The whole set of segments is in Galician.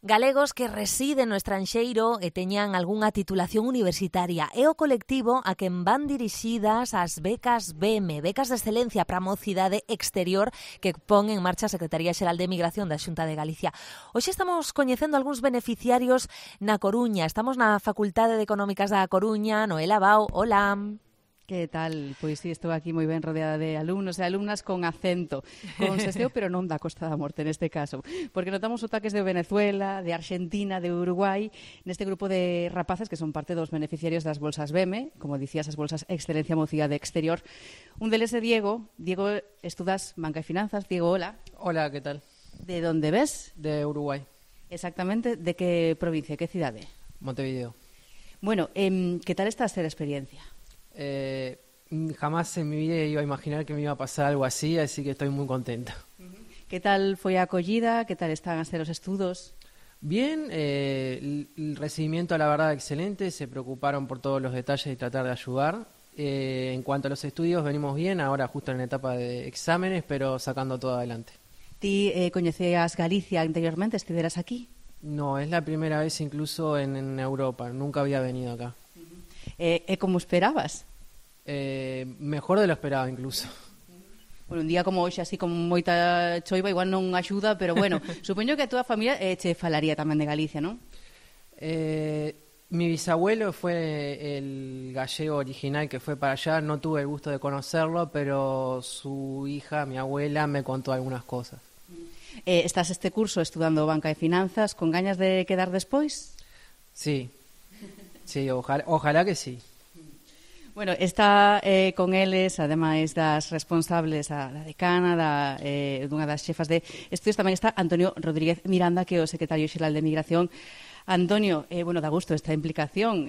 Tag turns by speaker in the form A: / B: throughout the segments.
A: Galegos que residen no estranxeiro e teñan algunha titulación universitaria. É o colectivo a quen van dirixidas as becas BEME, becas de excelencia para a mocidade exterior que pon en marcha a Secretaría Xeral de Migración da Xunta de Galicia. Hoxe estamos coñecendo algúns beneficiarios na Coruña. Estamos na Facultade de Económicas da Coruña. Noela Bau, hola.
B: Que tal? Pois sí, estou aquí moi ben rodeada de alumnos e alumnas con acento, con seseo, pero non da Costa da Morte neste caso, porque notamos sotaques de Venezuela, de Argentina, de Uruguai, neste grupo de rapaces que son parte dos beneficiarios das bolsas BEME, como dicías, as bolsas Excelencia Mocidade Exterior. Un deles é Diego. Diego, estudas Banca e Finanzas. Diego, hola.
C: Hola, ¿qué tal?
B: De onde ves?
C: De Uruguay.
B: Exactamente, de que provincia, que cidade?
C: Montevideo.
B: Bueno, que tal está a ser a experiencia?
C: Jamás en mi vida iba a imaginar que me iba a pasar algo así que estoy muy contenta.
B: Que tal foi a acollida? Que tal están a ser os estudos?
C: Bien, el recibimiento la verdad excelente, se preocuparon por todos los detalles y tratar de ayudar. En cuanto a los estudios venimos bien, ahora justo en la etapa de exámenes, pero sacando todo adelante.
B: Ti coñecías Galicia anteriormente, estiveras aquí?
C: No, es la primera vez incluso en Europa, nunca había venido acá.
B: Como esperabas?
C: Mejor de lo esperado incluso.
B: Bueno, un día como hoxe, así con moita choiva, igual non axuda, pero bueno, supoño que a toda a familia che falaría tamén de Galicia, non?
C: Mi bisabuelo fue el gallego original que fue para allá, no tuve el gusto de conocerlo, pero su hija, mi abuela, me contó algunas cosas.
B: Estás este curso estudando Banca e Finanzas con gañas de quedar despois?
C: Sí, ojalá que sí.
B: Bueno, está con eles, ademais das responsables, a decana, dunha das xefas de estudios, tamén está Antonio Rodríguez Miranda, que é o secretario xeral de Migración. Antonio, bueno, dá gusto esta implicación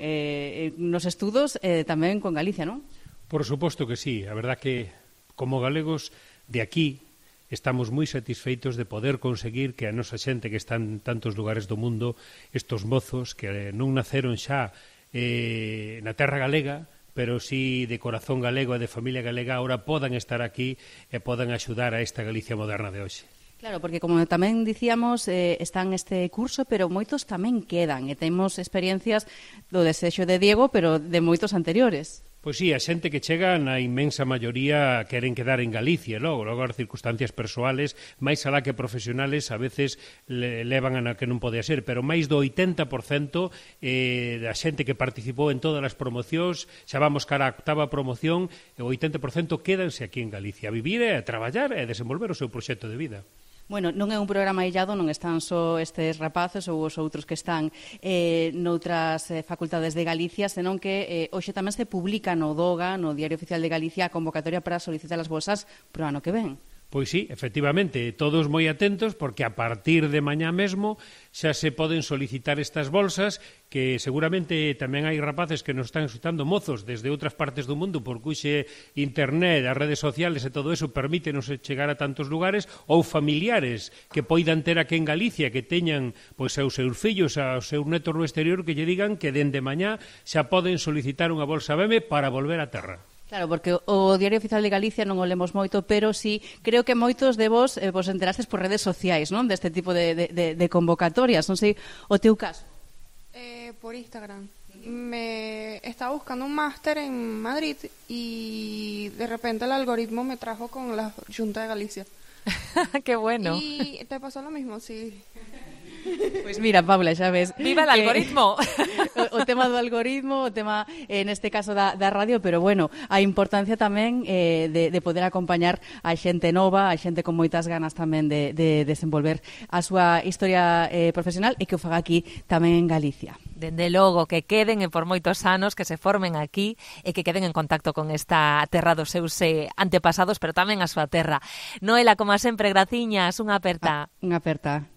B: nos estudos tamén con Galicia, non?
D: Por suposto que sí. A verdad que, como galegos de aquí, estamos moi satisfeitos de poder conseguir que a nosa xente que está en tantos lugares do mundo, estos mozos que non naceron xa na terra galega, pero sí de corazón galego e de familia galega, ahora podan estar aquí e podan axudar a esta Galicia moderna de hoxe.
B: Claro, porque como tamén dicíamos, están este curso, pero moitos tamén quedan, e temos experiencias do desexo de Diego, pero de moitos anteriores.
D: Pois sí, a xente que chega na inmensa maioría queren quedar en Galicia, logo as circunstancias persoales, máis alá que profesionales, a veces levan a que non pode ser, pero máis do 80% da xente que participou en todas as promocións, xa vamos cara a 8ª promoción, e o 80% quédanse aquí en Galicia, a vivir e a traballar e a desenvolver o seu proxecto de vida.
B: Bueno, non é un programa illado, non están só estes rapaces ou os outros que están noutras facultades de Galicia, senón que hoxe tamén se publica no DOGA, no Diario Oficial de Galicia, a convocatoria para solicitar as bolsas pro ano que ven.
D: Pois sí, efectivamente, todos moi atentos porque a partir de mañá mesmo xa se poden solicitar estas bolsas que seguramente tamén hai rapaces que nos están escutando, mozos desde outras partes do mundo porque hoxe internet, as redes sociales e todo eso permítenos chegar a tantos lugares, ou familiares que poidan ter aquí en Galicia que teñan pois aos seus fillos, aos seus netos no exterior que lle digan que dende mañá xa poden solicitar unha bolsa BEME para volver á terra.
B: Claro, porque o Diario Oficial de Galicia non o lemos moito, pero sí, creo que moitos de vos vos enterastes por redes sociais, non? Deste tipo de convocatorias, non sei, o teu caso.
E: Por Instagram. Me estaba buscando un máster en Madrid y de repente el algoritmo me trajo con la Xunta de Galicia.
A: ¡Qué bueno!
E: Y te pasó lo mismo, sí.
B: Pois mira, Paula, xa ves.
A: Viva el algoritmo!
B: O tema do algoritmo, o tema, neste caso, da radio, pero bueno, a importancia tamén de poder acompañar a xente nova, a xente con moitas ganas tamén de desenvolver a súa historia profesional e que o faga aquí tamén en Galicia.
A: Dende logo, que queden por moitos anos, que se formen aquí e que queden en contacto con esta terra dos seus antepasados, pero tamén a súa terra. Noela, como sempre, graciñas, unha aperta.
B: Unha aperta.